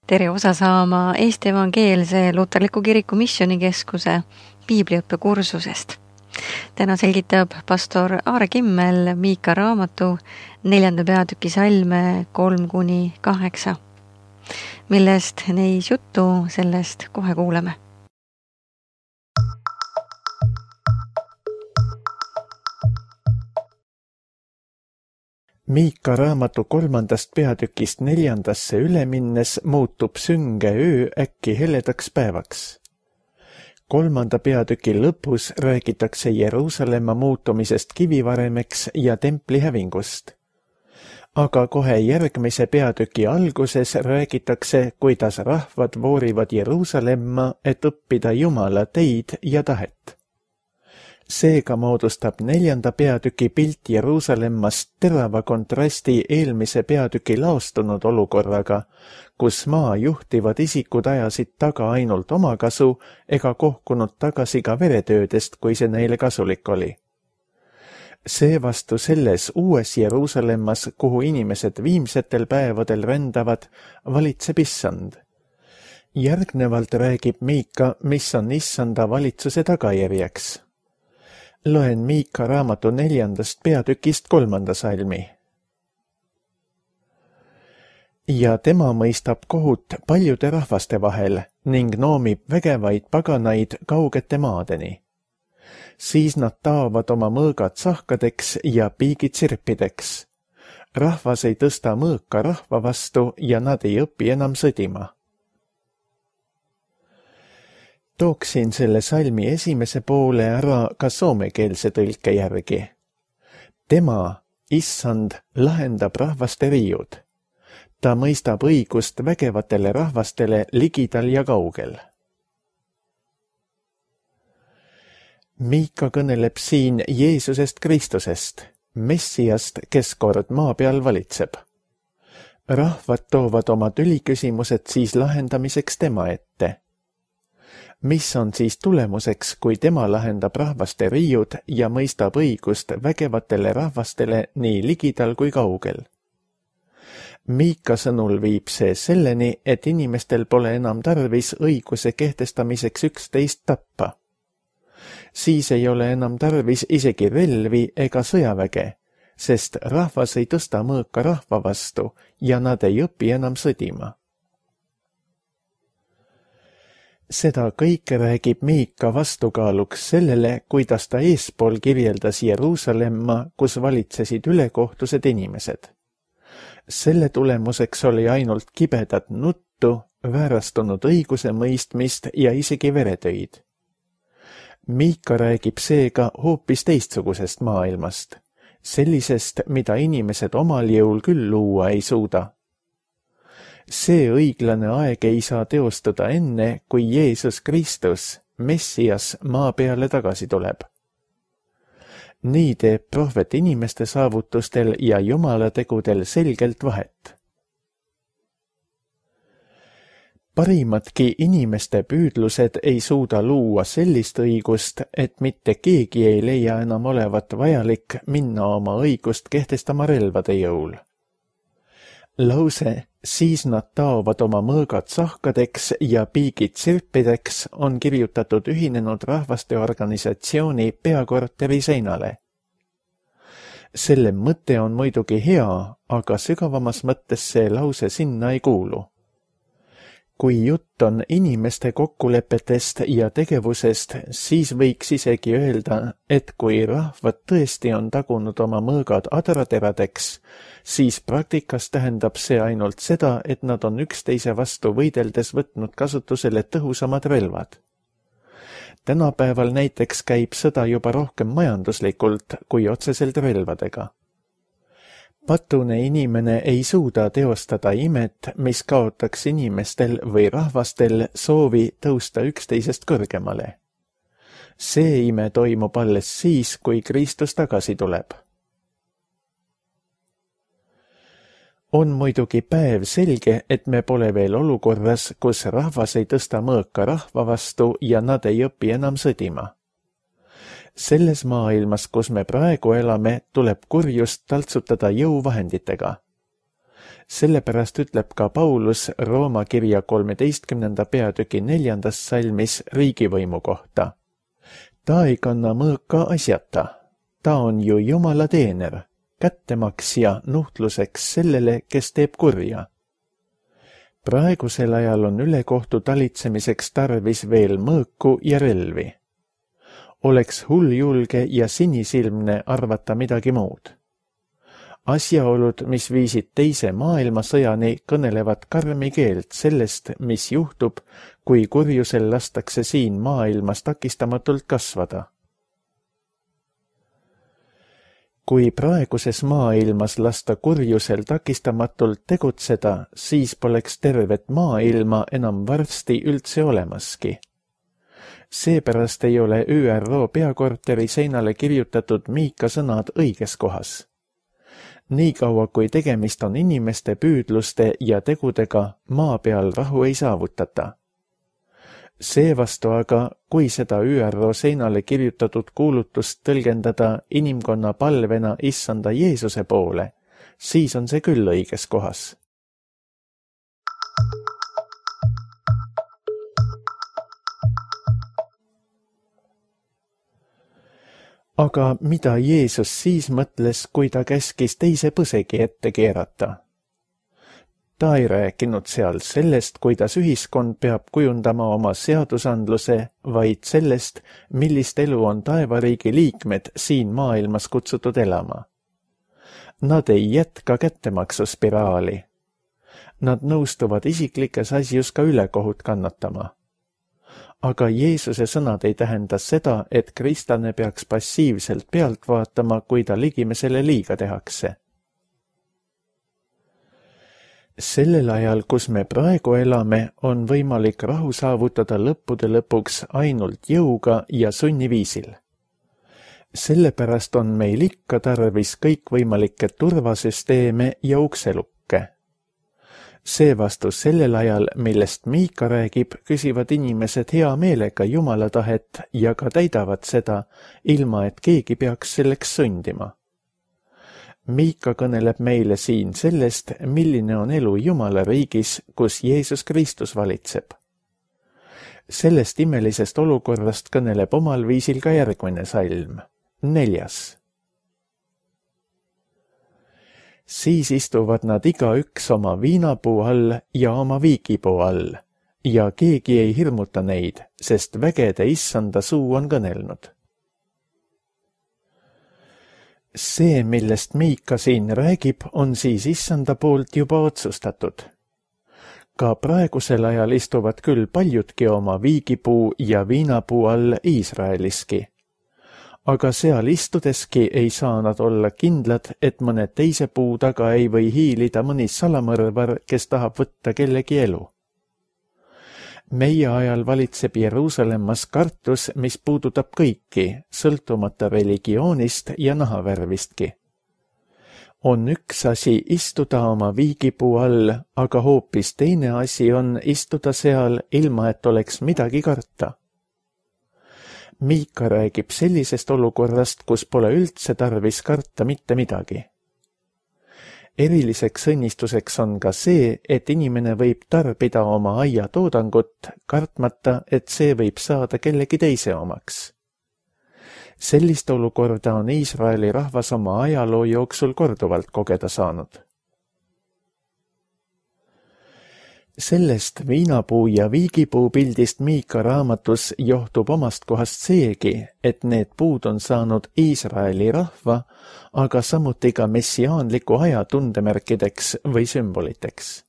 tere osa saama Eesti Evangeelse Luterliku Kiriku Missioonikeskuse piibliõppekursusest. Täna selgitab pastor Aare Kimmel Miika raamatu 4. peatüki salme 3-8, millest neis juttu, sellest kohe kuuleme. Miika raamatu 3. peatükist 4. üle minnes muutub sünge öö äkki heledaks päevaks. 3. peatüki lõpus räägitakse Jeruusalemma muutumisest kivivaremeks ja templi hävingust. Aga kohe järgmise peatüki alguses räägitakse, kuidas rahvad voorivad Jeruusalemma, et õppida Jumala teid ja tahet. Seega moodustab 4. peatüki pilt Jeruusalemmast terava kontrasti eelmise peatüki laostunud olukorraga, kus maa juhtivad isikud ajasid taga ainult omakasu ega kohkunud tagasi ka veretöödest, kui see neile kasulik oli. Seevastu selles uues Jeruusalemmas, kuhu inimesed viimsetel päevadel rändavad, valitseb issand. Järgnevalt räägib Miika, mis on issanda valitsuse tagajärjeks. Loen Miika raamatu 4. peatükist 3. salmi. Ja tema mõistab kohut paljude rahvaste vahel ning noomib vägevaid paganaid kaugete maadeni. Siis nad taovad oma mõõgad sahkadeks ja piigid sirpideks. Rahvas ei tõsta mõõka rahva vastu ja nad ei õpi enam sõdima. Tooksin selle salmi esimese poole ära ka soomekeelse tõlke järgi. Tema, issand, lahendab rahvaste riiud. Ta mõistab õigust vägevatele rahvastele ligidal ja kaugel. Miika kõneleb siin Jeesusest Kristusest, Messiast, kes kord maa peal valitseb. Rahvad toovad oma tüliküsimused siis lahendamiseks tema ette. Mis on siis tulemuseks, kui tema lahendab rahvaste riiud ja mõistab õigust vägevatele rahvastele nii ligidal kui kaugel? Miika sõnul viib see selleni, et inimestel pole enam tarvis õiguse kehtestamiseks üksteist tappa. Siis ei ole enam tarvis isegi relvi ega sõjaväge, sest rahvas ei tõsta mõõka rahva vastu ja nad ei õpi enam sõdima. Seda kõike räägib Miika vastukaaluks sellele, kuidas ta eespool kirjeldas Jeruusalemma, kus valitsesid ülekohtused inimesed. Selle tulemuseks oli ainult kibedat nuttu, väärastunud õiguse mõistmist ja isegi veretöid. Miika räägib seega hoopis teistsugusest maailmast, sellisest, mida inimesed omal jõul küll luua ei suuda. See õiglane aeg ei saa teostuda enne, kui Jeesus Kristus, Messias, maa peale tagasi tuleb. Nii teeb prohvet inimeste saavutustel ja Jumala tegudel selgelt vahet. Parimatki inimeste püüdlused ei suuda luua sellist õigust, et mitte keegi ei leia enam olevat vajalik minna oma õigust kehtestama relvade jõul. Lause, siis nad taovad oma mõõgad sahkadeks ja piigid sirpideks on kirjutatud Ühinenud Rahvaste Organisatsiooni peakorteri seinale. Selle mõte on muidugi hea, aga sügavamas mõttes see lause sinna ei kuulu. Kui jutt on inimeste kokkulepetest ja tegevusest, siis võiks isegi öelda, et kui rahvad tõesti on tagunud oma mõõgad adrateradeks, siis praktikas tähendab see ainult seda, et nad on üksteise vastu võideldes võtnud kasutusele tõhusamad relvad. Tänapäeval näiteks käib sõda juba rohkem majanduslikult kui otseselt relvadega. Patune inimene ei suuda teostada imet, mis kaotaks inimestel või rahvastel soovi tõusta üksteisest kõrgemale. See ime toimub alles siis, kui Kristus tagasi tuleb. On muidugi päev selge, et me pole veel olukorras, kus rahvas ei tõsta mõõka rahva vastu ja nad ei õpi enam sõdima. Selles maailmas, kus me praegu elame, tuleb kurjust taltsutada jõuvahenditega. Sellepärast ütleb ka Paulus Rooma kirja 13. peatüki 4. salmis riigivõimu kohta. Ta ei kanna mõõka asjata. Ta on ju Jumala teener, kättemaksja nuhtluseks sellele, kes teeb kurja. Praegusel ajal on ülekohtu talitsemiseks tarvis veel mõõku ja relvi. Oleks hulljulge ja sinisilmne arvata midagi muud. Asjaolud, mis viisid teise maailmasõjani, kõnelevad karmi keelt sellest, mis juhtub, kui kurjusel lastakse siin maailmas takistamatult kasvada. Kui praeguses maailmas lasta kurjusel takistamatult tegutseda, siis poleks tervet maailma enam varsti üldse olemaski. Seepärast ei ole ÜRO peakorteri seinale kirjutatud Miika sõnad õiges kohas. Niikaua kui tegemist on inimeste püüdluste ja tegudega, maa peal rahu ei saavutata. Seevastu aga, kui seda ÜRO seinale kirjutatud kuulutust tõlgendada inimkonna palvena Issanda Jeesuse poole, siis on see küll õiges kohas. Aga mida Jeesus siis mõtles, kui ta käskis teise põsegi ette keerata? Ta ei rääkinud seal sellest, kuidas ühiskond peab kujundama oma seadusandluse, vaid sellest, millist elu on taevariigi liikmed siin maailmas kutsutud elama. Nad ei jätka kättemaksuspiraali. Nad nõustuvad isiklikes asjus ka ülekohut kannatama. Aga Jeesuse sõnad ei tähenda seda, et kristlane peaks passiivselt pealt vaatama, kui ta ligimesele liiga tehakse. Sellel ajal, kus me praegu elame, on võimalik rahu saavutada lõppude lõpuks ainult jõuga ja sunniviisil. Sellepärast on meil ikka tarvis kõikvõimalikke turvasüsteeme ja ukselukke. Seevastu sellel ajal, millest Miika räägib, küsivad inimesed hea meelega Jumala tahet ja ka täidavad seda, ilma et keegi peaks selleks sundima. Miika kõneleb meile siin sellest, milline on elu Jumala riigis, kus Jeesus Kristus valitseb. Sellest imelisest olukorrast kõneleb omal viisil ka järgmine salm, 4. Siis istuvad nad igaüks oma viinapuu all ja oma viigipuu all, ja keegi ei hirmuta neid, sest vägede Issanda suu on kõnelnud. See, millest Miika siin räägib, on siis Issanda poolt juba otsustatud. Ka praegusel ajal istuvad küll paljudki oma viigipuu ja viinapuu all Iisraeliski. Aga seal istudeski ei saa nad olla kindlad, et mõne teise puu taga ei või hiilida mõni salamõrvar, kes tahab võtta kellegi elu. Meie ajal valitseb Jeruusalemmas kartus, mis puudutab kõiki, sõltumata religioonist ja nahavärvistki. On üks asi istuda oma viigipuu all, aga hoopis teine asi on istuda seal, ilma et oleks midagi karta. Miika räägib sellisest olukorrast, kus pole üldse tarvis karta mitte midagi. Eriliseks õnnistuseks on ka see, et inimene võib tarbida oma aiatoodangut, kartmata, et see võib saada kellegi teise omaks. Sellist olukorda on Iisraeli rahvas oma ajaloo jooksul korduvalt kogeda saanud. Sellest viinapuu ja viigipuu pildist Miika raamatus johtub omast kohast seegi, et need puud on saanud Iisraeli rahva, aga samuti ka messiaanliku aja tundemärkideks või sümboliteks.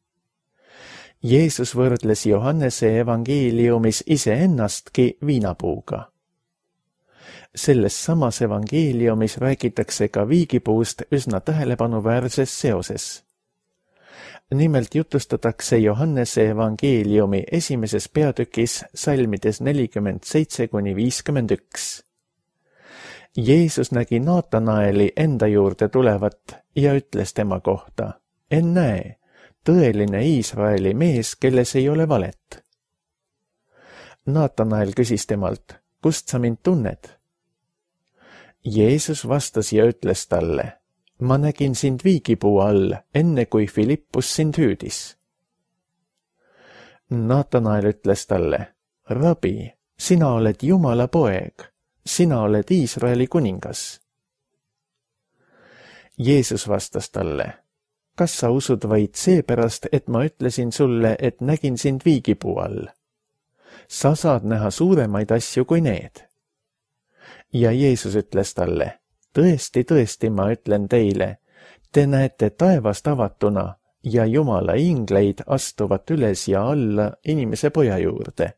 Jeesus võrdles Johannese evangeeliumis iseennastki viinapuuga. Selles samas evangeeliumis räägitakse ka viigipuust üsna tähelepanuväärses seoses. Nimelt jutustatakse Johannese evangeeliumi 1. peatükis salmides 47–51. Jeesus nägi Naatanaeli enda juurde tulevat ja ütles tema kohta, ennäe, tõeline Iisraeli mees, kelles ei ole valet. Naatanael küsis temalt, kust sa mind tunned? Jeesus vastas ja ütles talle, ma nägin sind viigipuu all, enne kui Filippus sind hüüdis. Naatanael ütles talle, Rabi, sina oled Jumala poeg, sina oled Iisraeli kuningas. Jeesus vastas talle, kas sa usud vaid seepärast, et ma ütlesin sulle, et nägin sind viigipuu all? Sa saad näha suuremaid asju kui need. Ja Jeesus ütles talle, tõesti, tõesti, ma ütlen teile, te näete taevast avatuna ja Jumala ingleid astuvat üles ja alla inimese poja juurde.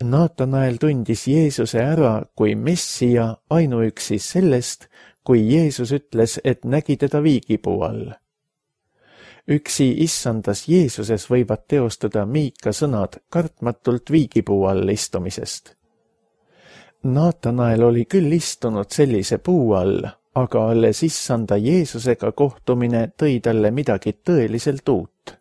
Naatanael tundis Jeesuse ära kui Messia ainuüksi sellest, kui Jeesus ütles, et nägi teda viigipuu all. Üksi issandas Jeesuses võivad teostuda Miika sõnad kartmatult viigipuu all istumisest. Naatanael oli küll istunud sellise puu all, aga alles issanda Jeesusega kohtumine tõi talle midagi tõeliselt uut.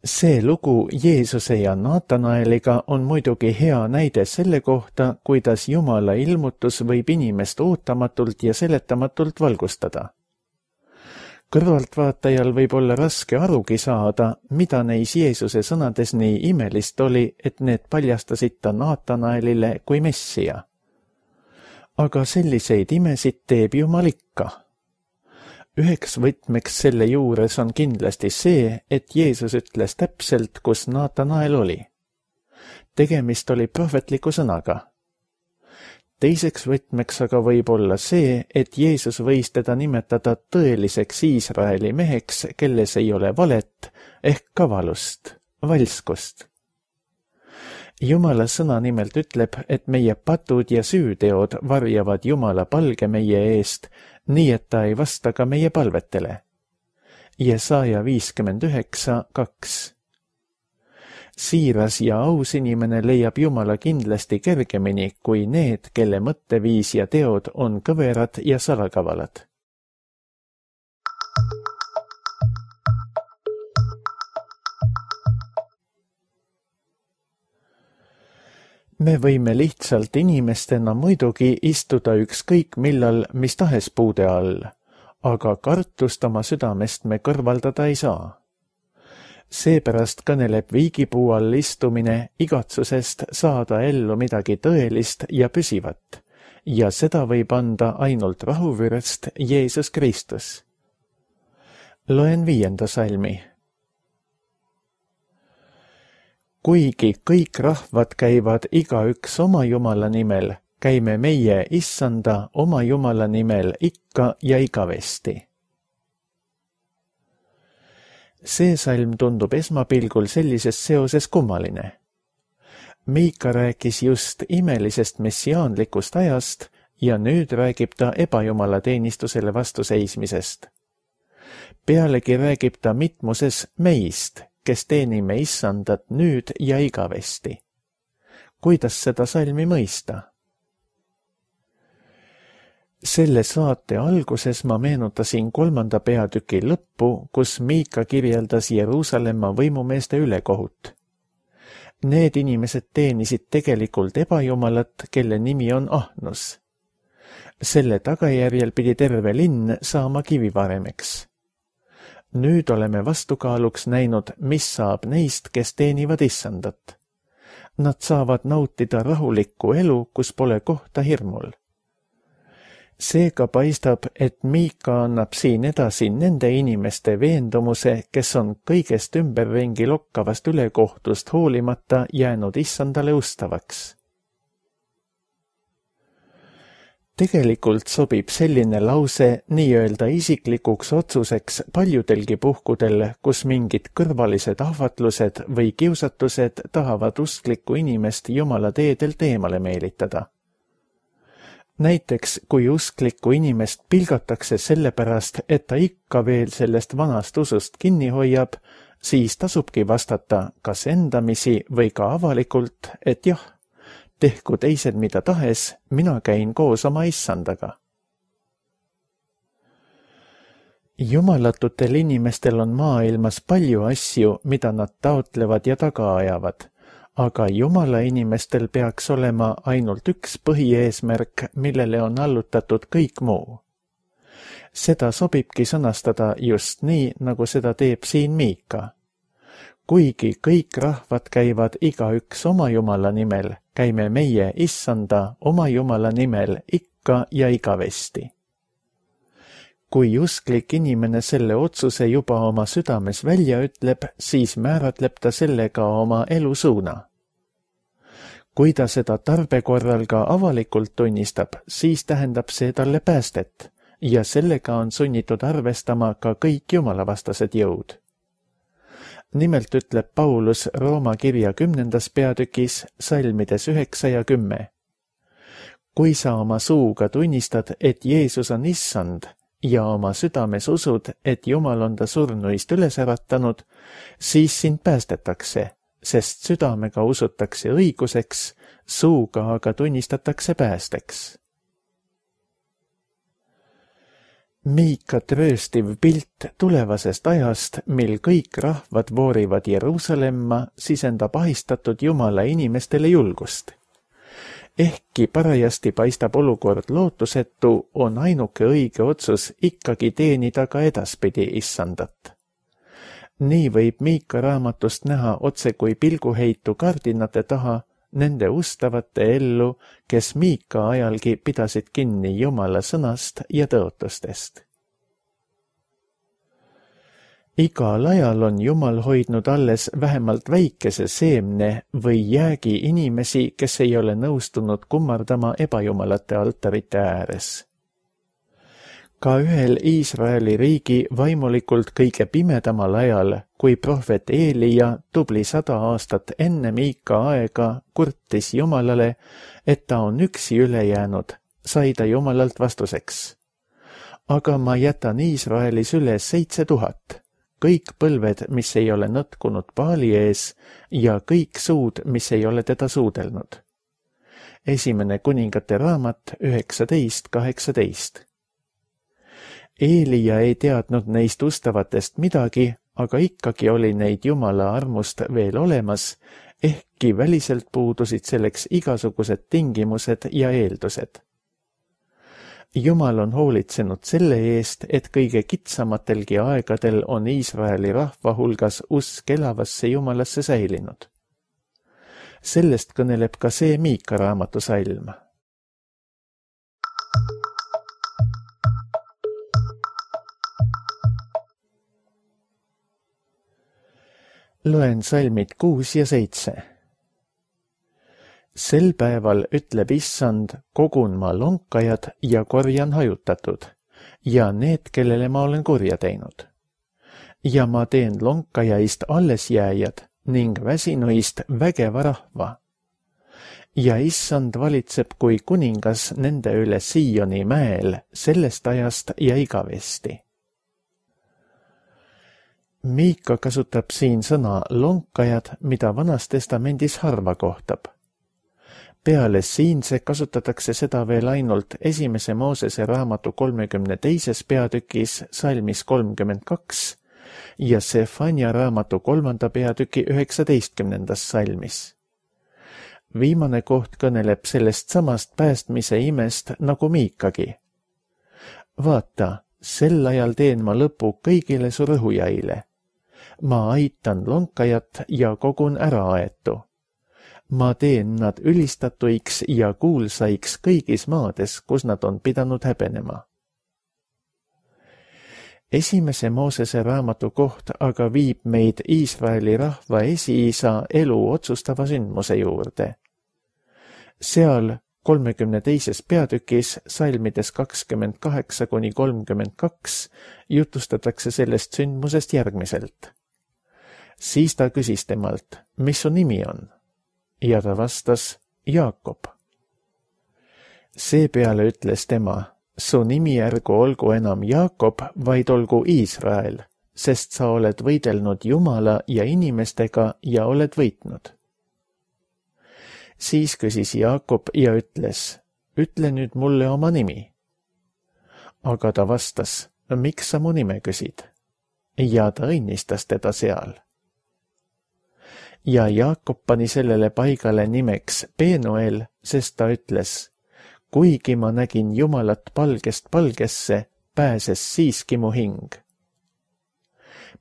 See lugu Jeesuse ja Naatanaeliga on muidugi hea näide selle kohta, kuidas Jumala ilmutus võib inimest ootamatult ja seletamatult valgustada. Kõrvaltvaatajal võib olla raske arugi saada, mida neis Jeesuse sõnades nii imelist oli, et need paljastasid ta Naatanaelile kui Messia. Aga selliseid imesid teeb Jumal ikka. Üheks võtmeks selle juures on kindlasti see, et Jeesus ütles täpselt, kus Naatanael oli. Tegemist oli prohvetliku sõnaga. Teiseks võtmeks aga võib olla see, et Jeesus võis teda nimetada tõeliseks Iisraeli meheks, kelles ei ole valet ehk kavalust, valskust. Jumala sõna nimelt ütleb, et meie patud ja süüteod varjavad Jumala palge meie eest, nii et ta ei vasta ka meie palvetele. Jesaja 59:2. Siiras ja aus inimene leiab Jumala kindlasti kergemini kui need, kelle mõtteviis ja teod on kõverad ja salakavalad. Me võime lihtsalt inimestena muidugi istuda ükskõik millal mis tahes puude all, aga kartust oma südamest me kõrvaldada ei saa. Seepärast kõneleb viigipuu all istumine igatsusest saada ellu midagi tõelist ja püsivat, ja seda võib anda ainult rahuvürst Jeesus Kristus. Loen 5. salmi. Kuigi kõik rahvad käivad igaüks oma Jumala nimel, käime meie issanda oma Jumala nimel ikka ja igavesti. See salm tundub esmapilgul sellises seoses kummaline. Miika rääkis just imelisest messiaanlikust ajast ja nüüd räägib ta ebajumala teenistusele vastuseismisest. Pealegi räägib ta mitmuses meist, kes teenime issandat nüüd ja igavesti. Kuidas seda salmi mõista? Selle saate alguses ma meenutasin 3. peatüki lõppu, kus Miika kirjeldas Jeruusalemma võimumeeste ülekohut. Need inimesed teenisid tegelikult ebajumalat, kelle nimi on ahnus. Selle tagajärjel pidi terve linn saama kivivaremeks. Nüüd oleme vastukaaluks näinud, mis saab neist, kes teenivad issandat. Nad saavad nautida rahulikku elu, kus pole kohta hirmul. Seega paistab, et Miika annab siin edasi nende inimeste veendumuse, kes on kõigest ümberringi lokkavast ülekohtust hoolimata jäänud issandale ustavaks. Tegelikult sobib selline lause nii-öelda isiklikuks otsuseks paljudelgi puhkudel, kus mingid kõrvalised ahvatlused või kiusatused tahavad usklikku inimest Jumala teedelt eemale meelitada. Näiteks, kui usklikku inimest pilgatakse sellepärast, et ta ikka veel sellest vanast usust kinni hoiab, siis tasubki vastata kas endamisi või ka avalikult, et jah, tehku teised mida tahes, mina käin koos oma issandaga. Jumalatutel inimestel on maailmas palju asju, mida nad taotlevad ja taga ajavad, aga Jumala inimestel peaks olema ainult üks põhieesmärk, millele on allutatud kõik muu. Seda sobibki sõnastada just nii, nagu seda teeb siin Miika. Kuigi kõik rahvad käivad igaüks oma Jumala nimel, käime meie Issanda oma Jumala nimel ikka ja igavesti. Kui usklik inimene selle otsuse juba oma südames välja ütleb, siis määratleb ta sellega oma elusuuna. Kui ta seda tarbe korral ka avalikult tunnistab, siis tähendab see talle päästet ja sellega on sunnitud arvestama ka kõik jumalavastased jõud. Nimelt ütleb Paulus Rooma kirja 10. peatükis salmides 9 ja 10. Kui sa oma suuga tunnistad, et Jeesus on Issand ja oma südames usud, et Jumal on ta surnuist üles äratanud, siis sind päästetakse, sest südamega usutakse õiguseks, suuga aga tunnistatakse päästeks. Miika trööstiv pilt tulevasest ajast, mil kõik rahvad voorivad Jeruusalemma, sisendab ahistatud Jumala inimestele julgust. Ehkki parajasti paistab olukord lootusetu, on ainuke õige otsus ikkagi teenida ka edaspidi Issandat. Nii võib Miika raamatust näha otse kui pilguheitu kardinate taha nende ustavate ellu, kes Miika ajalgi pidasid kinni Jumala sõnast ja tõotustest. Igal ajal on Jumal hoidnud alles vähemalt väikese seemne või jäägi inimesi, kes ei ole nõustunud kummardama ebajumalate altarite ääres. Ka ühel Iisraeli riigi vaimulikult kõige pimedamal ajal, kui prohvet Eelija tubli 100 aastat enne Miika aega kurtis Jumalale, et ta on üksi üle jäänud, sai ta Jumalalt vastuseks. Aga ma jätan Iisraelis üles 7000, kõik põlved, mis ei ole nõtkunud Baali ees ja kõik suud, mis ei ole teda suudelnud. 1. kuningate raamat 19:18. Eelija ei teadnud neist ustavatest midagi, aga ikkagi oli neid Jumala armust veel olemas, ehkki väliselt puudusid selleks igasugused tingimused ja eeldused. Jumal on hoolitsenud selle eest, et kõige kitsamatelgi aegadel on Iisraeli rahva hulgas usk elavasse Jumalasse säilinud. Sellest kõneleb ka see Miika raamatu salm. Loen salmid 6 ja 7. Sel päeval ütleb Issand, kogun ma lonkajad ja korjan hajutatud ja need, kellele ma olen kurja teinud. Ja ma teen lonkajaist allesjääjad ning väsinuist vägeva rahva. Ja Issand valitseb kui kuningas nende üle Sioni mäel sellest ajast ja igavesti. Miika kasutab siin sõna lonkajad, mida Vanas Testamendis harva kohtab. Peale siinse kasutatakse seda veel ainult 1. Moosese raamatu 32. peatükis salmis 32 ja Sefania raamatu 3. peatüki 19. salmis. Viimane koht kõneleb sellest samast päästmise imest nagu Miikagi. Vaata, sel ajal teen ma lõpu kõigile su rõhujaile. Ma aitan lonkajat ja kogun äraaetu. Ma teen nad ülistatuiks ja kuulsaiks kõigis maades, kus nad on pidanud häbenema. 1. Moosese raamatu koht aga viib meid Iisraeli rahva esiisa elu otsustava sündmuse juurde. Seal 32. peatükis salmides 28–32 jutustatakse sellest sündmusest järgmiselt. Siis ta küsis temalt, mis su nimi on? Ja ta vastas, Jaakob. Seepeale ütles tema, su nimi ärgu olgu enam Jaakob, vaid olgu Iisrael, sest sa oled võidelnud Jumala ja inimestega ja oled võitnud. Siis küsis Jaakob ja ütles, ütle nüüd mulle oma nimi. Aga ta vastas, miks sa mu nime küsid? Ja ta õnnistas teda seal. ja Jaakob pani sellele paigale nimeks Penuel, sest ta ütles: kuigi ma nägin Jumalat palgest palgesse, pääses siiski mu hing.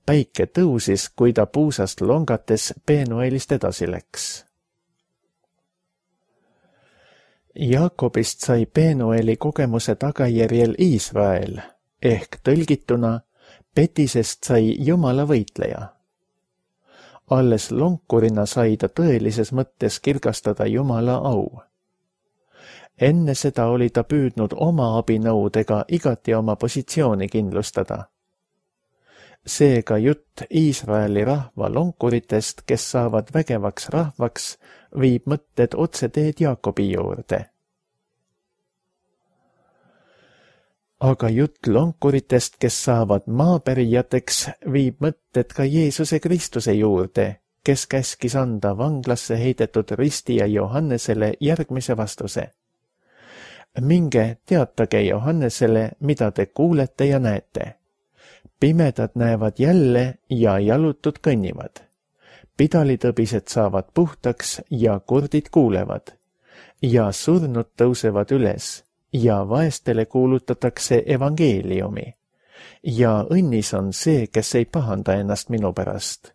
Päike tõusis, kui ta puusast longates Penuelist edasi läks. Jaakobist sai Penueli kogemuse tagajärjel Iisrael, ehk tõlgituna petisest sai Jumala võitleja. Alles lonkurina sai ta tõelises mõttes kirgastada Jumala au. Enne seda oli ta püüdnud oma abinõudega igati oma positsiooni kindlustada. Seega jutt Iisraeli rahva lonkuritest, kes saavad vägevaks rahvaks, viib mõtted otseteed Jaakobi juurde. Aga jutt lonkuritest, kes saavad maapärijateks, viib mõtted ka Jeesuse Kristuse juurde, kes käskis anda vanglasse heidetud ristija Johannesele järgmise vastuse. Minge teatage Johannesele, mida te kuulete ja näete. Pimedad näevad jälle ja jalutud kõnnivad. Pidalitõbised saavad puhtaks ja kurdid kuulevad. Ja surnud tõusevad üles ja vaestele kuulutatakse evangeeliumi. Ja õnnis on see, kes ei pahanda ennast minu pärast.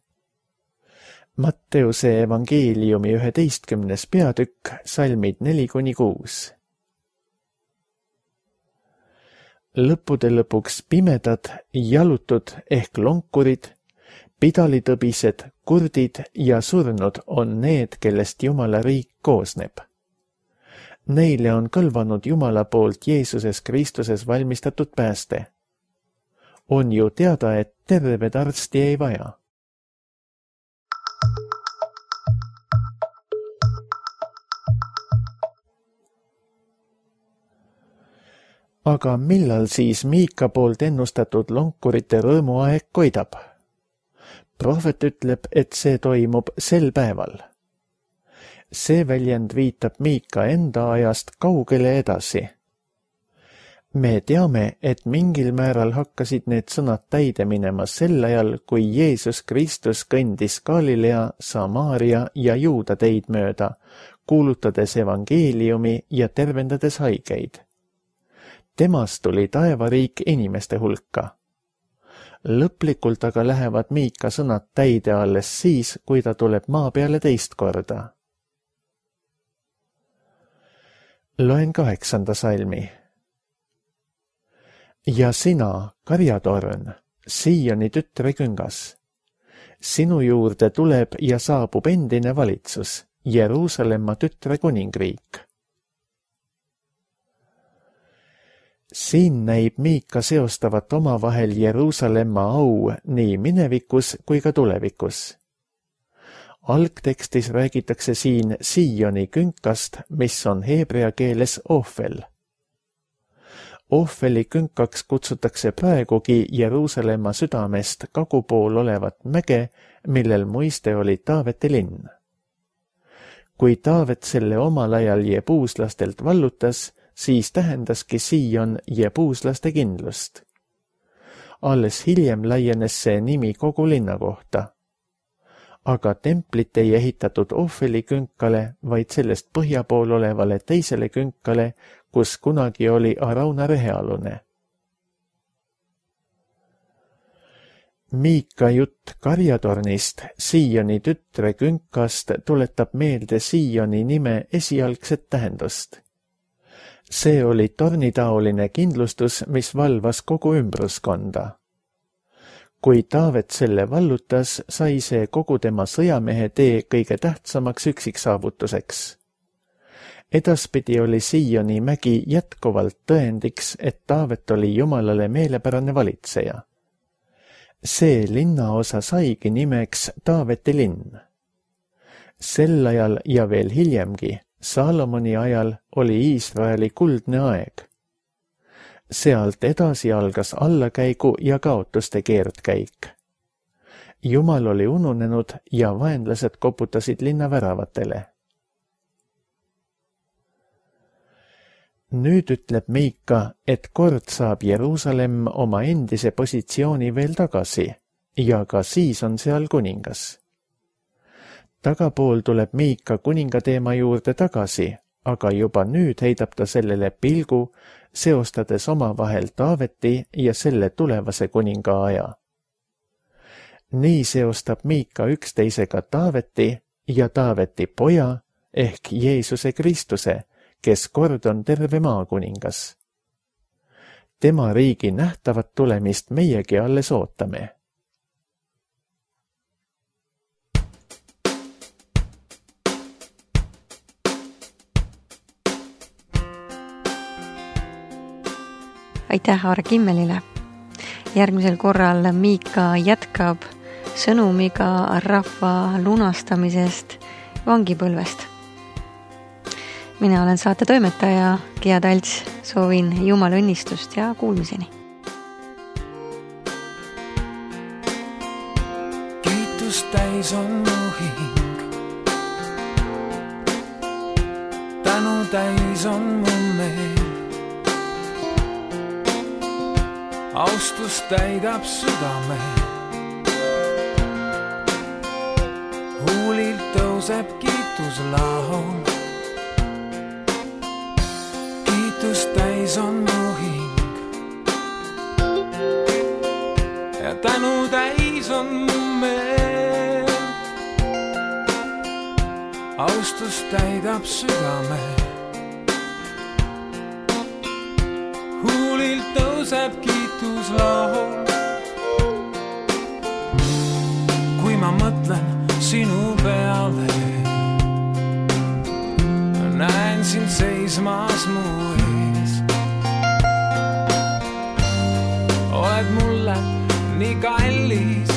Matteuse evangeeliumi 11. peatükk, salmid 4-6. Lõppude lõpuks pimedad, jalutud ehk lonkurid, pidalitõbised, kurdid ja surnud on need, kellest Jumala riik koosneb. Neile on kõlvanud Jumala poolt Jeesuses Kristuses valmistatud pääste. On ju teada, et terved arsti ei vaja. Aga millal siis Miika poolt ennustatud lonkurite rõõmuaeg koidab? Prohvet ütleb, et see toimub sel päeval. See väljend viitab Miika enda ajast kaugele edasi. Me teame, et mingil määral hakkasid need sõnad täide minema sel ajal, kui Jeesus Kristus kõndis Galilea, Samaaria ja Juuda teid mööda, kuulutades evangeeliumi ja tervendades haigeid. Temast tuli taevariik inimeste hulka. Lõplikult aga lähevad Miika sõnad täide alles siis, kui ta tuleb maa peale teist korda. Loen 8. salmi. Ja sina, karjatorn, Sioni tütre küngas. Sinu juurde tuleb ja saabub endine valitsus, Jeruusalemma tütre kuningriik. Siin näib Miika seostavat omavahel Jeruusalemma au nii minevikus kui ka tulevikus. Algtekstis räägitakse siin Sioni künkast, mis on heebrea keeles Ofel. Ofeli künkaks kutsutakse praegugi Jeruusalemma südamest kagupool olevat mäge, millel muiste oli Taaveti linn. Kui Taavet selle omal ajal jebuuslastelt vallutas, siis tähendaski Sion jebuuslaste kindlust. Alles hiljem laienes see nimi kogu linna kohta. Aga templit ei ehitatud Ofeli künkale, vaid sellest põhja pool olevale teisele künkale, kus kunagi oli Arauna rehealune. Miika jutt karjatornist, Sioni tütre künkast, tuletab meelde Sioni nime esialgset tähendust. See oli tornitaoline kindlustus, mis valvas kogu ümbruskonda. Kui Taavet selle vallutas, sai see kogu tema sõjamehe tee kõige tähtsamaks üksiksaavutuseks. Edaspidi oli Sioni mägi jätkuvalt tõendiks, et Taavet oli Jumalale meelepärane valitseja. See linnaosa saigi nimeks Taaveti linn. Sel ajal ja veel hiljemgi, Saalomoni ajal oli Iisraeli kuldne aeg. Sealt edasi algas allakäigu ja kaotuste keerdkäik. Jumal oli ununenud ja vaenlased koputasid linna väravatele. Nüüd ütleb Miika, et kord saab Jeruusalemm oma endise positsiooni veel tagasi ja ka siis on seal kuningas. Tagapool tuleb Miika kuninga teema juurde tagasi, aga juba nüüd heidab ta sellele pilgu, seostades omavahel Taaveti ja selle tulevase kuninga aja. Nii seostab Miika üksteisega Taaveti ja Taaveti poja ehk Jeesuse Kristuse, kes kord on terve maakuningas. Tema riigi nähtavat tulemist meiegi alles ootame. Aitäh Aare Kimmelile. Järgmisel korral Miika jätkab sõnumiga rahva lunastamisest vangipõlvest. Mina olen saate toimetaja Gea Talts, soovin Jumala õnnistust ja kuulmiseni. Kiitus täis on mu hing, tänu täis on mu meel, austus täidab südame, huulilt tõuseb kiituslaul. Kiitus täis on mu hing ja tänu täis on mu meel, austus täidab südame, huulilt tõuseb kiituslaul. Kui ma mõtlen sinu peale, näen sind seismas mu ees. Oled mulle nii kallis,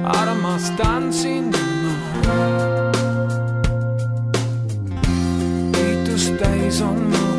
armastan sind ma. Kiitus täis on mu